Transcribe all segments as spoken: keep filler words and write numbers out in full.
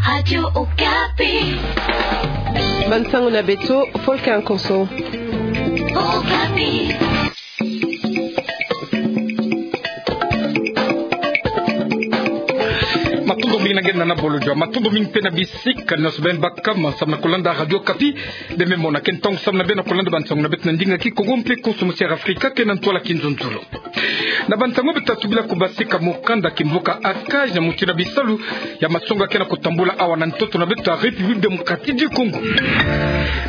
Radio Okapi. Bansango na beto, Paul Kankoso. Okapi. Matondo mingi na ngena na bolo jwa. Matondo mingi mpe na bisika nyonso beno baka samu na kolanda Radio Okapi. Beno me mona ke ntangu samu na beno na kolanda bansango na beto na ndinga Kikongo mpe Konso Musiara Afrika ke na ntwala Kinzonzolo. Na bansango beto ta tubila kubasika mokanda kimvuka ACAJ na mutindu ya bisalu ya masonga ke na kutambula awa na ntoto na beto ya République Démocratique du Congo.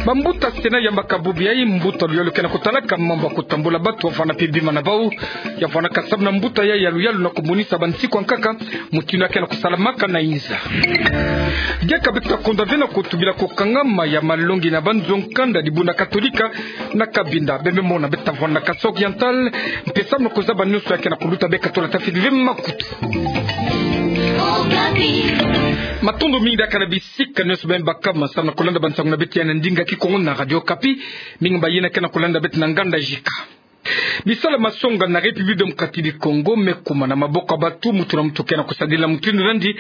Bambuta Sénat yambaka bubu yayi mbuta luyalu ke na kutalaka mambu ya kutambula batu wavwanda mpe bima na bau, ya vwandaka samu na mbuta yayi ya luyalu na kumonisa bansiku ya nkaka mutindu ya ke na kusalamaka na inza. Diaka beto ta konda ve na kutubila kukangama ya malongi na banzo nkanda dibundu Katolika na Cabinda. Beno me mona beto ta vwanda na Kasaï Oriental, mpe samu na kuzaba nyonso ya ke na kuluta, beka tula tafiti ve makutu. Matondo mingi diaka na bisika nyonso beno baka samu na kolanda bansango na beto ya na ndinga Kikongo na Radio Okapi. Mingi mbayina ke na kolanda beto na nganda jika. Bisalu ya masonga na République Démocratique du Congo me kuma na maboko ya batu, mutu na mutu ke na kusadila mutindu nandi.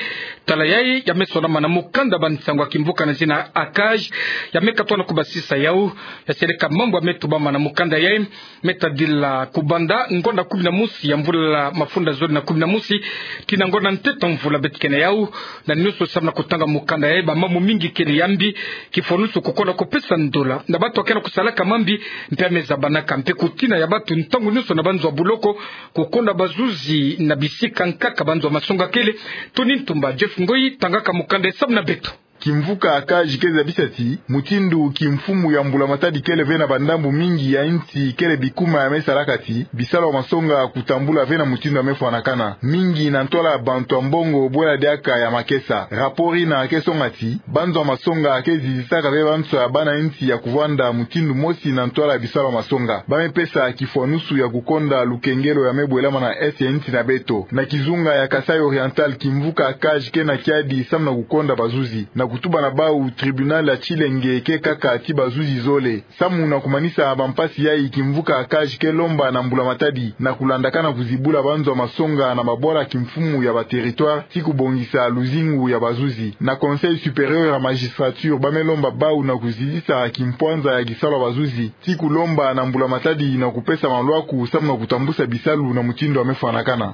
Tala yayi ya me sonama na mokanda bansango ya kimvuka na zina ACAJ, ya me katuka na kubasisa yau. Ya seleka mambu ya me tubama na mokanda yayi, me tadila kubanda ngonda kumi na mosi ya mvula mafunda zole na kumi na mosi tii na ngonda nteto mvula beto ke na yau, na nyonso samu na kutanga mokanda yayi, bamambu mingi kele ya mbi, kifwanusu kukonda kupesa ndola na batu ya ke na kusalaka mambi, mpe ya me zabanaka mpe kutina ya batu ntangu nyonso na banzo ya buloko, kukonda bazuzi na bisika nkaka banzo ya masonga kele. Tony Ntumba, Jeff Ngoyi tangaka mokanda yayi samu na beto. Kimvuka ACAJ ke zabisa ti mutindu kimfumu ya Mbulamatadi kele ve na bandambu mingi ya insi, kele bikuma ya me salaka ti bisalu ya masonga kutambula ve na mutindu ya me fwanakana, mingi na ntwala ya bantu ya mbongo, bwela diaka ya makesa. Rapport ina ke songa ti banzo ya masonga ke zizitaka ve banso ya bana insi ya kuvwanda mutindu mosi na ntwala ya bisalu ya masonga. Ba me pesa kifwanusu ya kukonda lukengelo ya me bwelama na est ya insi na beto. Na kizunga ya Kasaï Oriental, kimvuka ACAJ ke na kiadi samu na kukonda bazuzi, na kutuba na bau tribunal ya Tshilenge ke kaka ti bazuzi zole. Samu na kumanisa bampasi yayi, kimvuka ACAJ ke lomba na Mbulamatadi na kulandakana kuzibula banzo ya masonga na babwala kimfumu ya ba territoire, tii kubongisa luzingu ya bazuzi. Na Conseil supérieur ya magistrature, ba me lomba bau na kuzizisa kimpwanza ya kisalu ya bazuzi, tii kulomba na Mbulamatadi na kupesa malwaku samu na kutambusa bisalu na mutindu ya me fwanakana.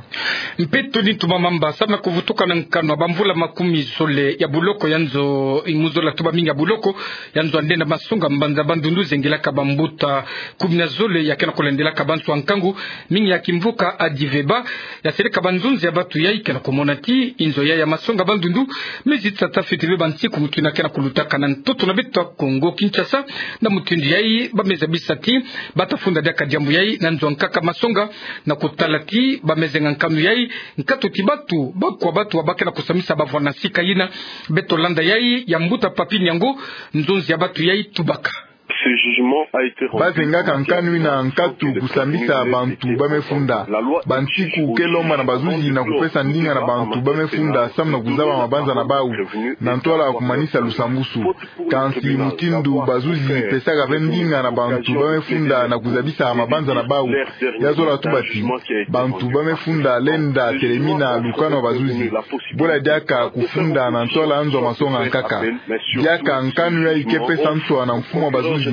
Mpe Tony Ntumba Mamba, samu na kuvutuka na nkanu ya bamvula makumi zole ya buloko ya nzo, imu zola tuba mingi ya buloko ya nzo ya ndenda masonga mbanza Bandundu, zengilaka bambuta kumi na zole ya ke na kulandelaka banso ya nkangu mingi ya kimvuka ADIVEBA. Ya seleka banzonzi ya batu yayi ke na kumona ti inzo yayi ya masonga Bandundu me zitisa tafiti ve bansiku mutindu ya ke na kulutaka na ntoto na beto ya Kongo Kinshasa. Na mutindu yayi ba me zabisa ti ba ta funda diaka diambu yayi na nzo ya nkaka masonga, na kutala ti ba me zenga nkanu yayi, nkatu ti batu, bakwa batu ba ke na kusambisa bavwanda na sika yina. Beto landa yayi ya mbuta Papy Niango, nzonzi ya batu yayi tubaka. Ba zengaka nkanu ina nkatu kusambisa bantu ba me funda. Bansiku ke lomba na bazuzi na kupesa ndinga na bantu ba me funda samu na kuzaba mabanza na bau na ntwala ya kumanisa lusambusu. Kansi mutindu bazuzi pesaka ve ndinga na bantu ba me funda na kuzabisa mabanza na bau, ya zola tuba ti bantu ba me funda lenda telemina lukanu ya bazuzi. Bwela diaka kufunda na ntwala ya nzo ya masonga nkaka. Diaka nkanu yayi ke pesa nswa na mfumu ya bazuzi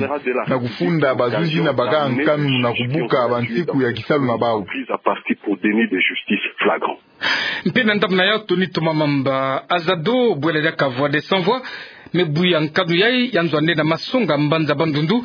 na kufunda bazuzi na baka nkanu na kubuka bansiku ya kisalu na bau. Mpe na ndambu na yau, Tony Ntumba Mamba, AZADO, bwela diaka Voix des Sans Voix, me buya nkanu yayi ya nzo ya ndenda masonga mbanza Bandundu.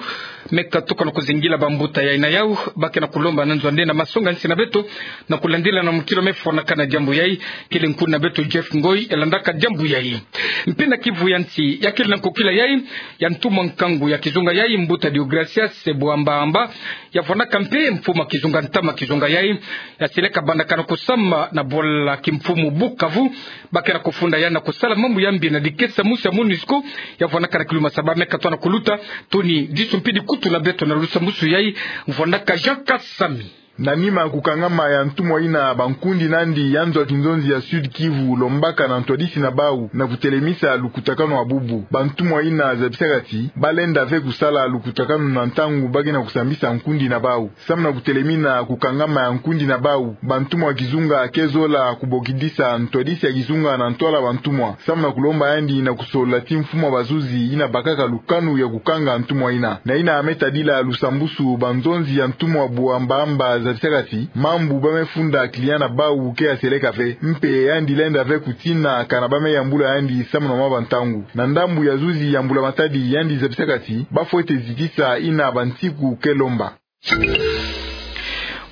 Me katuka na kuzingila bambuta yayi na yau, ba ke na kulomba na nzo ya ndenda masonga nsi na beto na kulandila na mukilu ya me fwanakana diambu yayi. Kele nkuni na beto Jeff Ngoyi ya landaka diambu yayi. Mpe na kivu ya nsi, ya kele na nkokila yayi ya ntumwa nkangu ya kizunga yayi, mbuta Deogracias Buamba Amba, ya vwandaka mpe mfumu ya kizunga, ntama ya kizunga yayi, ya seleka bandakana kusamba na bwala kimfumu Bukavu. Ba ke na kufunda yandi na kusala mambu ya mbi na dikesa musi ya MONUSCO ya vwandaka na Kilumasa. Ba me katuka na kuluta. Tony, disu mpe dikutu na beto na lusambusu yayi, vwandaka Jean Kasami. Na nima ya kukangama ya ntumwa ina, bankundi nandi ya nzo ya kinzonzi ya Sud-Kivu lombaka na ntwadisi na bau na kutelemisa lukutakanu ya bubu. Bantumwa ina zabisaka ti balenda ve kusala lukutakanu na ntangu ba ke na kusambisa nkundi na bau. Samu na kutelemina kukangama ya nkundi na bau, bantumwa ya kizunga ke zola kubokidisa ntwadisi ya kizunga na ntwala bantumwa, samu na kulomba yandi na kusolola ti mfumu ya bazuzi ina bakaka lukanu ya kukanga ntumwa ina. Na ina me tadila lusambusu, banzonzi ya ntumwa Buamba-amba zabisaka ti mambu ba me funda client na bau ke ya seleka ve, mpe yandi lenda ve kutina kana ba me yambula yandi samu na mwa bantangu. Na ndambu ya zuzi ya Mbula Matadi, yandi zabisaka ti ba fwete zitisa ina bansiku ke lomba.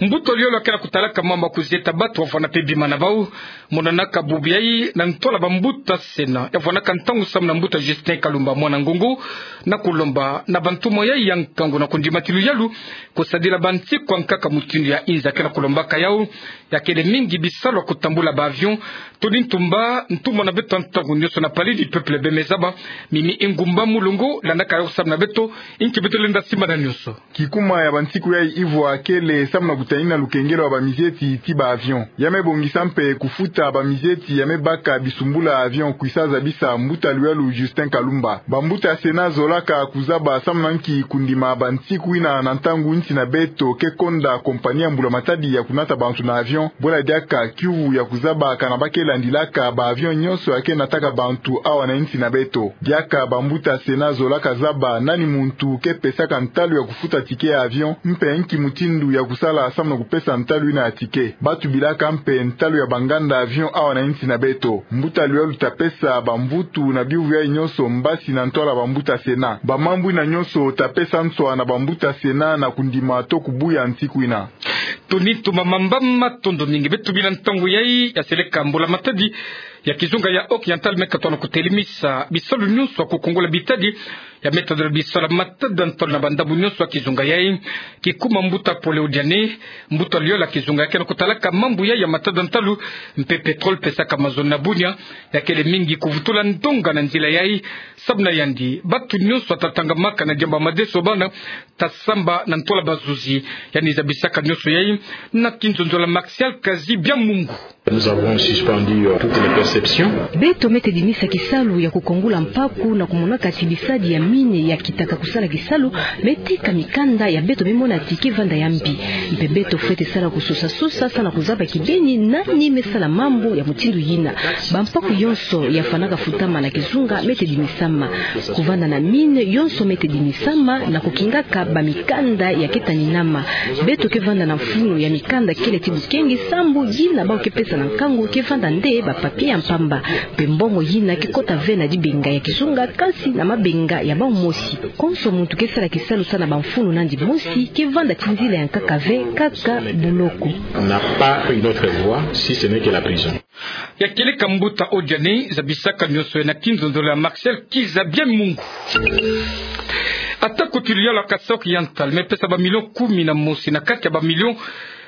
Mbuta Liola ke na kutalaka mambu ya kuzieta batu wavwanda mpe bima na bau, monanaka bubu yai na ntwala bambuta Sénat ya vwandaka ntangu samu na mbuta Justin Kalumba mwana Ngungu, na kulomba na bantumwa yai ya nkangu na kundima ti luyalu kusadila bansiku ya nkaka mutindu ya inza ke na kulombaka yau, ya kele mingi bisalu ya kutambula ba avion. Tony Ntumba, ntumwa na beto ya ntangu nyonso na Palais du Peuple, bemezaba mimi ingumba mulongo landaka yau samu na beto, inki beto lenda simbana nyonso. Kikuma ya bansiku yai ivwa kele samu na kutanina lukengelo ya bamizieti ti ba avion. Ya me bongisa mpe kufuta bamizieti ya me baka bisumbula avion, kwisa zabisa mbuta luyalu Justin Kalumba. Bambuta Sénat zolaka kuzaba samu na nki kundima bansiku ina na ntangu nsi na beto ke konda compagnie ya Mbula Matadi ya kunata bantu na avion, bwela diaka kiuvu ya kuzaba kana ba ke landilaka ba avion nyonso ya ke nataka bantu awa na nsi na beto. Diaka bambuta Sénat zolaka zaba nani muntu ke pesaka ntalu ya kufuta ticket ya avion, mpe nki mutindu ya kusala samu na kupesa ntalu ina ya ticket. Ba tubilaka mpe ntalu ya banganda avion awa na nsi na beto. Mbuta luyalu ta pesa bamvutu na biuvu yai nyonso mbasi na ntwala bambuta Sénat. Bamambu ina nyonso ta pesa nswa na bambuta Sénat na kundima to kubuya nsiku ina. Tony Ntumba, mamba matondo mingi. Beto bina ntangu yai ya seleka Mbula Matadi ya kizunga ya Occidental me katono kutelemisa bisalu nyonso ya kukongola bitadi ya me tadila bisalu ya matada ntalu na bandambu nyonso ya kizunga yai. Kikuma mbuta Pole Odiane, mbuta Liola, kizunga ya ke na kutalaka mambu yai ya matada ntalu mpe pétrole pesaka mazono na bunia, ya kele mingi kuvutula ndonga na nzila yai. Samu na yandi, batu nyonso ya ta tangamaka na diambu ya madeso bana ta samba na ntwala bazuzi. Yandi zabisaka nyonso yai na kinzonzolo ya Martial Kazi-Biamungu. Nous avons suspendu, euh, toutes les perceptions. Beto me tedimisa kisalu ya kukongola mpaku na kumonaka ti bisadi ya mine ya kitaka kusala kisalu me tika mikanda ya beto me mona ti ke vanda ya mbi. Mpe beto fwete sala kusosa-sosa samu na kuzaba kibeni nani me sala mambu ya mutindu yina. Bampaku yonso ya fwanaka futama na kizunga me tedimisama. Kuvanda na mine yonso me tedimisama na kukingaka bamikanda ya ke taninama. Beto ke vanda na mfunu ya mikanda kele ti bukengi, sambu yina bau ke pesa na nkangu ke vanda nde ba papier ya mpamba. Mpe mbongo yina ke kota ve na dibenga ya kizunga, kansi na mabenga ya bau mosi. Konso muntu ke sala kisalu samu na bamfunu nandi mosi ke vanda ti nzila ya nkaka ve, kaka buloko. On n'a pas une autre voie si ce n'est que la prison. Ya kieleka mbuta Odiane, zabisaka nyonso yai na kinzonzolo ya Martial Kazi-Biamungu. Atako ti luyalu ya Kasai Oriental me pesa ba million kumi na mosi na kati ya ba million,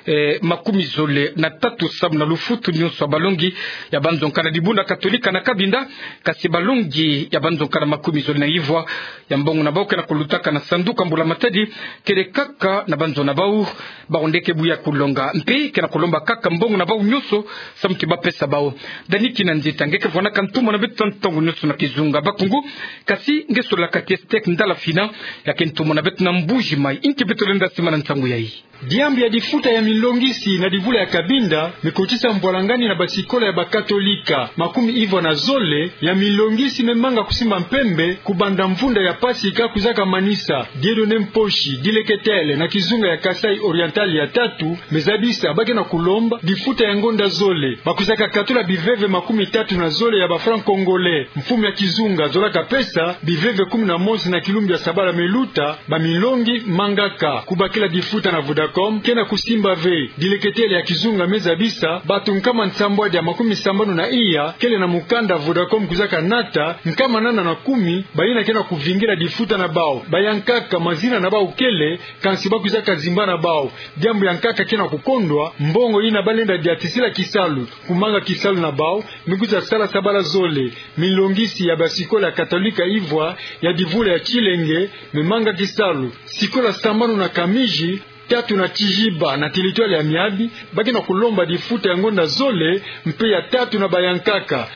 eh, makumi zole na tatu samu na lufutu nyonso ya balongi ya banzonkana dibundu ya Katolika na Cabinda, kasi balongi ya banzonkana makumi zole na ivwa ya mbongo na bau ke na kulutaka na sanduku ya Mbula Matadi kele kaka na banzo na bau. Bau nde ke buya kulonga, mpe ke na kulomba kaka mbongo na bau nyonso samu ti ba pesa bau. Dani Kinanzita, nge ke vwanaka ntumwa na beto ntangu nyonso na kizunga Bakongo, kasi nge sololaka ti Estek Ndala Fina, ya ke ntumwa na beto na Mbuji Mayi. Inki beto lenda simbana nsangu yai? Diambu ya difuta ya milongisi na divula ya Cabinda me kotisa mbwalangani na basikola ya Bakatolika. Makumi ivwa na zole ya milongisi me manga kusimba mpembe kubanda mvunda ya Pasika kwizaka manisa. Dieudonné Mposhi, dileketele na kizunga ya Kasai Oriental ya tatu, me zabisa ba ke na kulomba difuta ya ngonda zole. Ba kwizaka katula biveve makumi tatu na zole ya ba francs congolais. Mfumu ya kizunga zolaka pesa biveve kumi na mosi na kilumbu ya sabala me luta, ba milongi mangaka. Kubakila difuta na Vodacom ke na kusimba ve. Dileketele ya kizunga me zabisa bato nkama nsambwadi ya makumi sambanu na iya kele na mukanda Vodacom kwizaka nata, nkama nana na kumi bayina ke na kuvingila difuta na bau. Bayankaka mazina na bau kele, kansi ba kwizaka zimba na bau. Diambu ya nkaka ke na kukondwa, mbongo yina ba lenda diatisila kisalu, kumanga kisalu na bau, me kwiza sala sabala zole. Milongisi ya basikola ya Katolika ivwa ya divula ya Tshilenge me manga kisalu. Sikola sambanu na Kamiji Tatu na tihiba na territoire ya Miabi, ba ke na kulomba difuta ya ngonda zole, mpe ya tatu na bayankaka.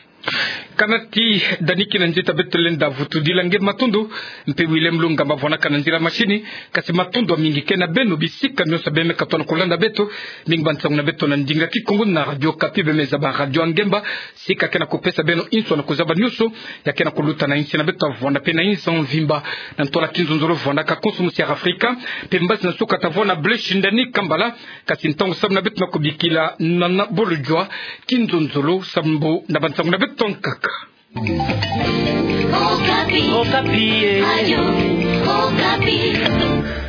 Kanati Dani, kina nzita beto lenda vutudila nge matondo, mpe William Lungamba vwanaka na nzila machine, kasi matondo mamingi ke na beno bisika nyonso beme katona kulanda beto, mingi ba nsangu na beto na ndinga Kikongo na Radio Okapi beme zaba Radio Ngemba, sika ke na kupesa beno inso na kuzaba nyonso ya ke na kuluta na insi na beto, vwanda mpe na insi mvimba. Na ntola kinzonzolo vwandaka Konso Musiara Afrika, mpe mbasi na suka tavwanda Blaise Shindani Kambala, kasi ntangu samu na beto na kubikila na, na bolo jua kinzonzolo samu na ba nsangu na beto nkaka. Okapi. Okapi, eh. Radio Okapi.